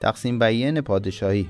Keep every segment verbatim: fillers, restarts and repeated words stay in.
تقسیم بیین پادشاهی.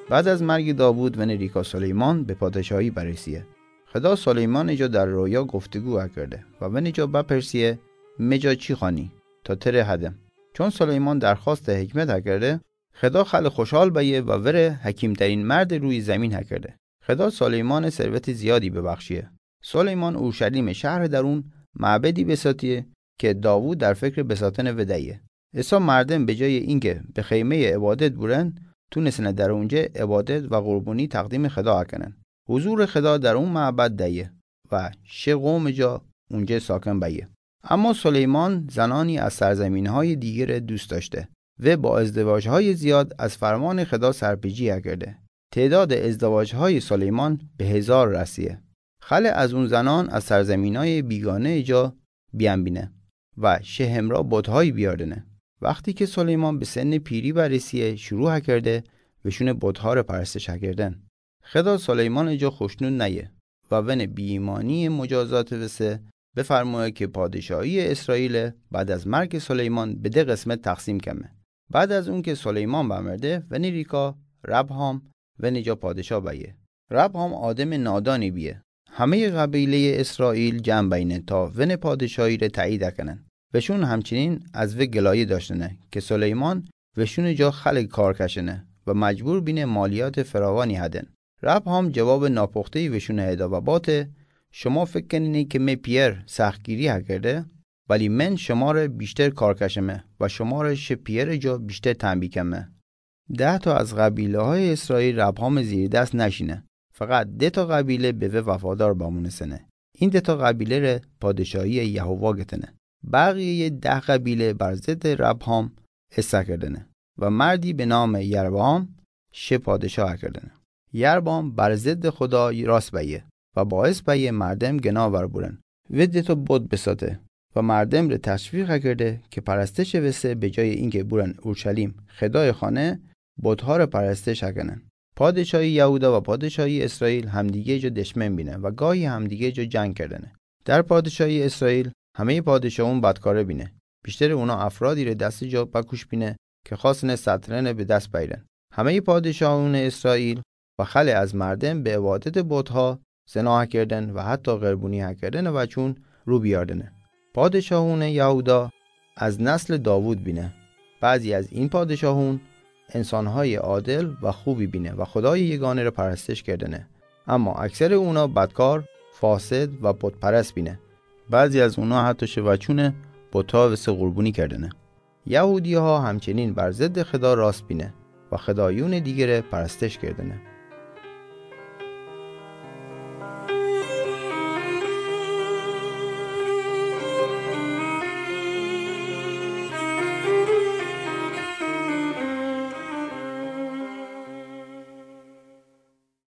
بعد از مرگ داوود، ونی ریکا سلیمان به پادشاهی برسیه. خدا سلیمان جا در رویا گفتگو کرده و ونی جا بپرسیه: می جا چی خوانی تا تره هدم؟ چون سلیمان درخواست حکمت کرده، خدا خیلی خوشحال بیه و وره حکیم‌ترین مرد روی زمین کرده. خدا سلیمان ثروت زیادی ببخشیه. سلیمان اورشلیم شهر درون معبدی بساتیه که داوود در فکر بساتن ودهیه. ایسا مردم به جای اینکه به خیمهٔ عبادت بورن، تونستن در اونجا عبادت و قربانی تقدیم خدا کنن. حضور خدا در اون معبد دهیه و شه قوم جا اونجا ساکن بیه. اما سلیمان زنانی از سرزمین‌های دیگر دوست داشته و با ازدواج‌های زیاد از فرمان خدا سرپیچی کرده. تعداد ازدواج‌های سلیمان به هزار رسیه. خیلی از اون زنان از سرزمین‌های بیگانه جا بیان بینه و شه همرا بت‌هایی بیاردنه. وقتی که سلیمان به سن پیری برسیه، شروع کرده وشون بت‌ها ره پرستش کردن. خدا سلیمان جا خوشنود نیه و ون بی‌ایمانی مجازات وسه بفرمایه که پادشاهی اسرائیل بعد از مرگ سلیمان به ده قسمت تقسیم کمه. بعد از اون که سلیمان بمرده، ونی ریکا ربهام ونی جا پادشاه بیه. ربهام آدم نادانی بیه. همهٔ قبیلهٔ اسرائیل جمع بینه تا ون پادشاهی ره تأیید کنن. وشون همچنین از و گلایه داشتنه که سلیمان وشون جا خیلی کار کشنه و مجبور بینه مالیات فراوانی هدن. ربهام جواب ناپختهٔ وشون هده و باته: شما فکر کنین که می پیر سختگیری کرده، ولی من شما ره بیشتر کار کشمه و شما ره شه پیر جا بیشتر تنبیه کمه. ده تا از قبیله‌های اسرائیل ربهام زیر دست نشینه، فقط ده تا قبیله به و وفادار بمونستنه. این ده تا قبیله ره پادشاهی یهوه گتنه. بقیهٔ ده قبیله بر ضد ربهام ایسه کردنه و مردی به نام یربعام شه پادشاه کردنه. یربعام بر ضد خدا راست بیه و باعث بیه مردم گناه ور بورن. و ده تا بت بساته و مردم ره تشویق کرده که پرستش وسه به جای اینکه بورن اورشلیم خدای خانه، بت‌ها ره پرستش کنن. پادشاهی یهودا و پادشاهی اسرائیل همدیگه جا دشمن بینه و گاهی همدیگه جا جنگ کردنه. در پادشاهی اسرائیل همهٔ پادشاهون بدکاره بینه. بیشتر اونا افرادی ره دست جا بکوش بینه که خواستنه سطرنه به دست بیرن. همهٔ پادشاهون اسرائیل و خیلی از مردم به عبادت بت‌ها، زنا کردن و حتی قربانی کردن وچون رو بیاردنه. پادشاهون یهودا از نسل داوود بینه. بعضی از این پادشاهون انسان‌های عادل و خوبی بینه و خدای یگانه را پرستش کردنه، اما اکثر اونا بدکار، فاسد و بت‌پرست بینه. بعضی از اونا حتی شه وچون بت‌ها وسه قربانی کردنه. یهودی‌ها همچنین بر ضد خدا راست بینه و خدایون دیگره پرستش کردنه.